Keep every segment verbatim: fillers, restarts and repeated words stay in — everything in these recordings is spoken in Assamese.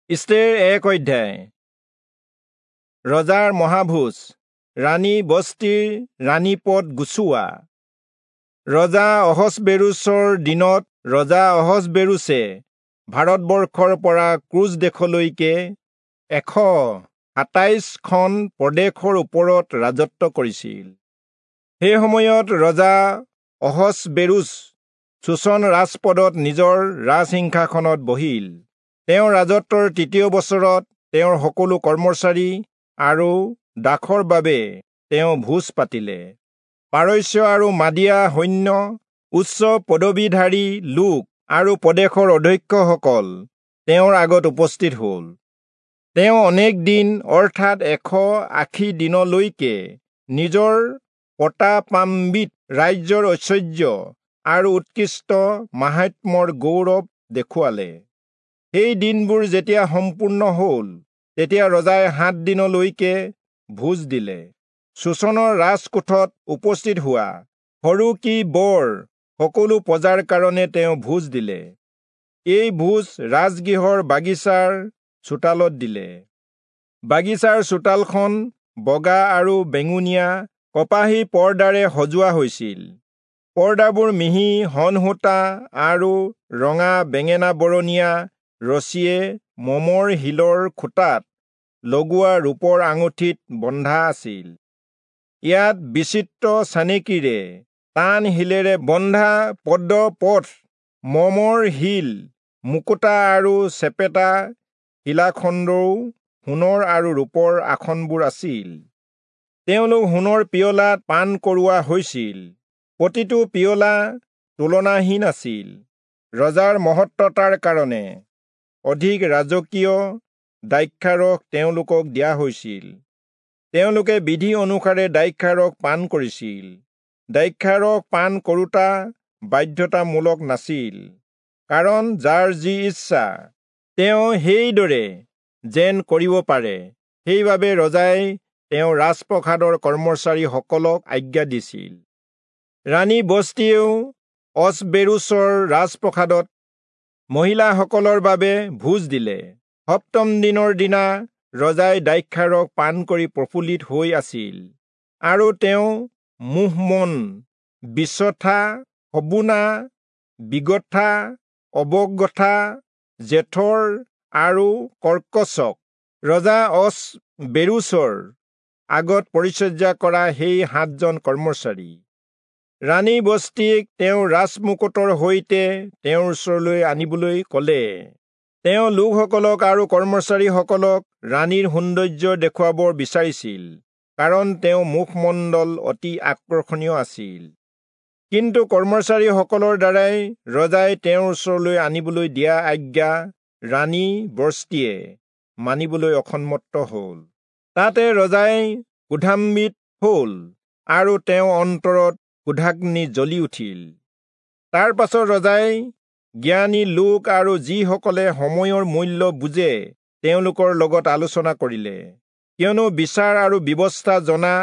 ইষ্টেৰ এক অধ্যায়। ৰজাৰ মহাভোজ, ৰাণী বস্তিৰ ৰাণীপদ গুচোৱা। ৰজা অহচবেৰুচৰ দিনত ৰজা অহচবেৰুচে ভাৰতবৰ্ষৰ পৰা ক্ৰুচ দেশলৈকে এশ সাতাইশখন প্ৰদেশৰ ওপৰত ৰাজত্ব কৰিছিল। সেই সময়ত ৰজা অহচবেৰুচ চূচন ৰাজপদত নিজৰ ৰাজসিংহাসনত বহিল। তেওঁৰ ৰাজত্বৰ তৃতীয় বছৰত তেওঁৰ সকলো কৰ্মচাৰী আৰু দাসৰ বাবে তেওঁ ভোজ পাতিলে। পাৰস্য আৰু মাদিয়া সৈন্য, উচ্চ পদবীধাৰী লোক আৰু প্ৰদেশৰ অধ্যক্ষসকল তেওঁৰ আগত উপস্থিত হ'ল। তেওঁ অনেক দিন অৰ্থাৎ এশ আশী দিনলৈকে নিজৰ প্ৰতাপান্বিত ৰাজ্যৰ ঐশ্বৰ্য আৰু উৎকৃষ্ট মাহাত্ম্যৰ গৌৰৱ দেখুৱালে। সেই দিনবোৰ যেতিয়া সম্পূৰ্ণ হ'ল, তেতিয়া ৰজাই সাত দিনলৈকে ভোজ দিলে। চূচনৰ ৰাজকোঠত উপস্থিত হোৱা সৰু কি বৰ সকলো প্ৰজাৰ কাৰণে তেওঁ ভোজ দিলে। এই ভোজ ৰাজগৃহৰ বাগিচাৰ চোতালত দিলে। বাগিচাৰ চোতালখন বগা আৰু বেঙুনীয়া কপাহী পৰ্দাৰে সজোৱা হৈছিল। পৰ্দাবোৰ মিহি শণসূতা আৰু ৰঙা বেঙেনা বৰণীয়া ৰছীয়ে মমৰ শিলৰ খুঁটাত লগোৱা ৰূপৰ আঙুঠিত বন্ধা আছিল। ইয়াত বিচিত্ৰ চানেকিৰে টান শিলেৰে বন্ধা পদপথ, মমৰ শিল, মুকুতা আৰু চেপেটা শিলাখণ্ডও সোণৰ আৰু ৰূপৰ আসনবোৰ আছিল। তেওঁলোক সোণৰ পিয়লাত পান কৰোৱা হৈছিল। প্ৰতিটো পিয়লা তুলনাহীন আছিল। ৰজাৰ মহত্বতাৰ কাৰণে অধিক ৰাজকীয় দ্ৰাক্ষাৰস তেওঁলোকক দিয়া হৈছিল। তেওঁলোকে বিধি অনুসাৰে দ্ৰাক্ষাৰস পান কৰিছিল। দ্ৰাক্ষাৰস পান কৰোঁতা বাধ্যতামূলক নাছিল, কাৰণ যাৰ যি ইচ্ছা তেওঁ সেইদৰে যেন কৰিব পাৰে। সেইবাবে ৰজাই তেওঁৰ ৰাজপ্ৰসাদৰ কৰ্মচাৰীসকলক আজ্ঞা দিছিল। ৰাণী বস্তিয়েও অহচবেৰুচৰ ৰাজপ্ৰসাদত মহিলাসকলৰ বাবে ভোজ দিলে। সপ্তম দিনৰ দিনা ৰজাই দ্ৰাক্ষাৰস পান কৰি প্ৰফুল্লিত হৈ আছিল, আৰু তেওঁ মুহমন, বিচথা, হবোনা, বিগথা, অবগথা, জেথৰ আৰু কৰ্কচক ৰজা অহচবেৰুচৰ আগত পৰিচৰ্যা কৰা সেই সাতজন কৰ্মচাৰী ৰাণী বস্তিক তেওঁ ৰাজমুকুটৰ সৈতে তেওঁৰ ওচৰলৈ আনিবলৈ ক'লে। তেওঁ লোকসকলক আৰু কৰ্মচাৰীসকলক ৰাণীৰ সৌন্দৰ্য দেখুৱাব বিচাৰিছিল, কাৰণ তেওঁ মুখমণ্ডল অতি আকৰ্ষণীয় আছিল। কিন্তু কৰ্মচাৰীসকলৰ দ্বাৰাই ৰজাই তেওঁৰ ওচৰলৈ আনিবলৈ দিয়া আজ্ঞা ৰাণী বস্তিয়ে মানিবলৈ অসন্মত হ'ল। তাতে ৰজাই ক্ৰোধান্বিত হ'ল আৰু তেওঁৰ অন্তৰত ক্ৰোধাগ্নি জ্বলি উঠিল। তাৰ পাছত ৰজাই জ্ঞানী লোক আৰু যিসকলে সময়ৰ মূল্য বুজে তেওঁলোকৰ লগত আলোচনা কৰিলে, কিয়নো বিচাৰ আৰু ব্যৱস্থা জনা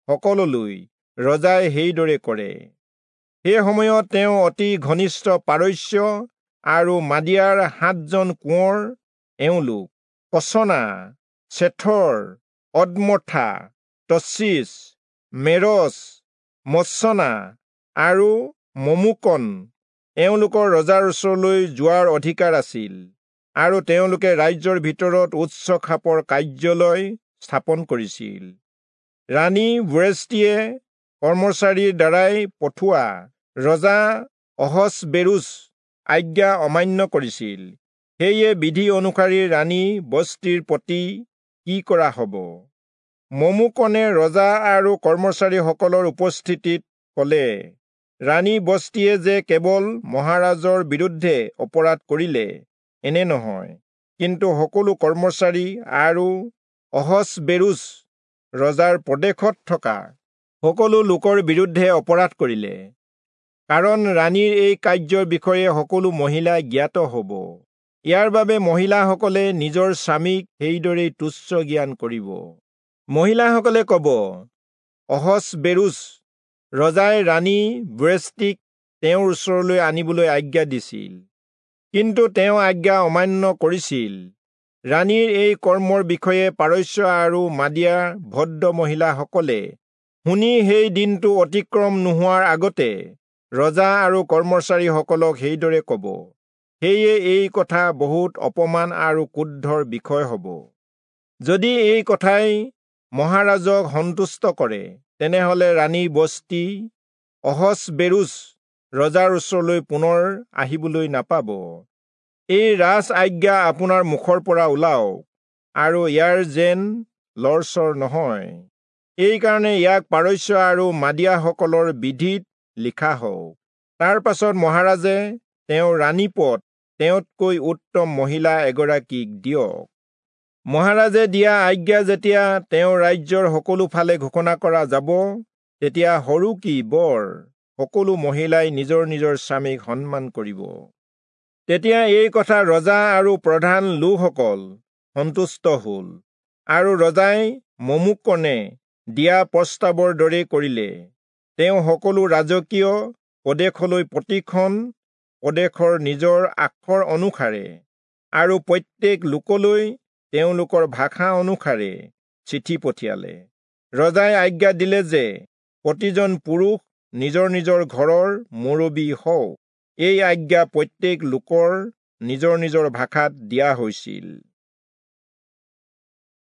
সকললৈ ৰজাই সেইদৰে কৰে। সেই সময়ত তেওঁ অতি ঘনিষ্ঠ পাৰস্য আৰু মাদিয়াৰ সাতজন কোঁৱৰ, এওঁলোক কচনা, চেথৰ, অদমথা, তচ্ছিচ, মেৰছ, মৎসনা আৰু মমুকন, এওঁলোকৰ ৰজাৰ ওচৰলৈ যোৱাৰ অধিকাৰ আছিল, আৰু তেওঁলোকে ৰাজ্যৰ ভিতৰত উচ্চ খাপৰ কাৰ্যালয় স্থাপন কৰিছিল। ৰাণী বস্তিয়ে কৰ্মচাৰীৰ দ্বাৰাই পঠোৱা ৰজা অহচবেৰুচ আজ্ঞা অমান্য কৰিছিল। সেয়ে বিধি অনুসৰি ৰাণী বস্তিৰ প্ৰতি কি কৰা হ'ব? মমুকনে ৰজা আৰু কৰ্মচাৰীসকলৰ উপস্থিতিত ক'লে, ৰাণী বস্তিয়ে যে কেৱল মহাৰাজৰ বিৰুদ্ধে অপৰাধ কৰিলে এনে নহয়, কিন্তু সকলো কৰ্মচাৰী আৰু অহচবেৰুচ ৰজাৰ প্ৰদেশত থকা সকলো লোকৰ বিৰুদ্ধে অপৰাধ কৰিলে, কাৰণ ৰাণীৰ এই কাৰ্যৰ বিষয়ে সকলো মহিলা জ্ঞাত হ'ব। ইয়াৰ বাবে মহিলাসকলে নিজৰ স্বামীক সেইদৰেই তুচ্ছ জ্ঞান কৰিব। মহিলাসকলে ক'ব, অহচবেৰুচ ৰজাই ৰাণী বস্তিক তেওঁৰ ওচৰলৈ আনিবলৈ আজ্ঞা দিছিল, কিন্তু তেওঁ আজ্ঞা অমান্য কৰিছিল। ৰাণীৰ এই কৰ্মৰ বিষয়ে পাৰস্য আৰু মাদিয়াৰ ভদ্ৰ মহিলাসকলে শুনি সেই দিনটো অতিক্ৰম নোহোৱাৰ আগতে ৰজা আৰু কৰ্মচাৰীসকলক সেইদৰে ক'ব। সেয়ে এই কথা বহুত অপমান আৰু ক্ৰোধৰ বিষয় হ'ব। যদি এই কথাই মহাৰাজক সন্তুষ্ট কৰে, তেনেহলে ৰাণী বস্তি অহচবেৰুচ ৰজাৰ ওচৰলৈ পুনৰ আহিবলৈ নাপাব। এই ৰাজ আজ্ঞা আপোনাৰ মুখৰ পৰা ওলাওক, আৰু ইয়াৰ যেন লৰচৰ নহয়। এইকাৰণে ইয়াক পাৰস্য আৰু মাদিয়াসকলৰ বিধিত লিখা হওক। তাৰ পাছত মহাৰাজে তেওঁৰ ৰাণীপদ তেওঁতকৈ উত্তম মহিলা এগৰাকীক দিয়ক। মহাৰাজে দিয়া আজ্ঞা যেতিয়া তেওঁৰ ৰাজ্যৰ সকলো ফালে ঘোষণা কৰা যাব, তেতিয়া সৰু কি বৰ সকলো মহিলাই নিজৰ নিজৰ স্বামীক সন্মান কৰিব। তেতিয়া এই কথা ৰজা আৰু প্ৰধান লোকসকল সন্তুষ্ট হ'ল, আৰু ৰজাই মমুকনে দিয়া প্ৰস্তাৱৰ দৰে কৰিলে। তেওঁ সকলো ৰাজকীয় প্ৰদেশলৈ প্ৰতিখন প্ৰদেশৰ নিজৰ আখৰ অনুসাৰে আৰু প্ৰত্যেক লোকলৈ তেওঁলোকৰ ভাষা অনুসাৰে চিঠি পঠিয়ালে। ৰজাই আজ্ঞা দিলে যে প্ৰতিজন পুৰুষ নিজৰ নিজৰ ঘৰৰ মুৰব্বী হওক। এই আজ্ঞা প্ৰত্যেক লোকৰ নিজৰ নিজৰ ভাষাত দিয়া হৈছিল।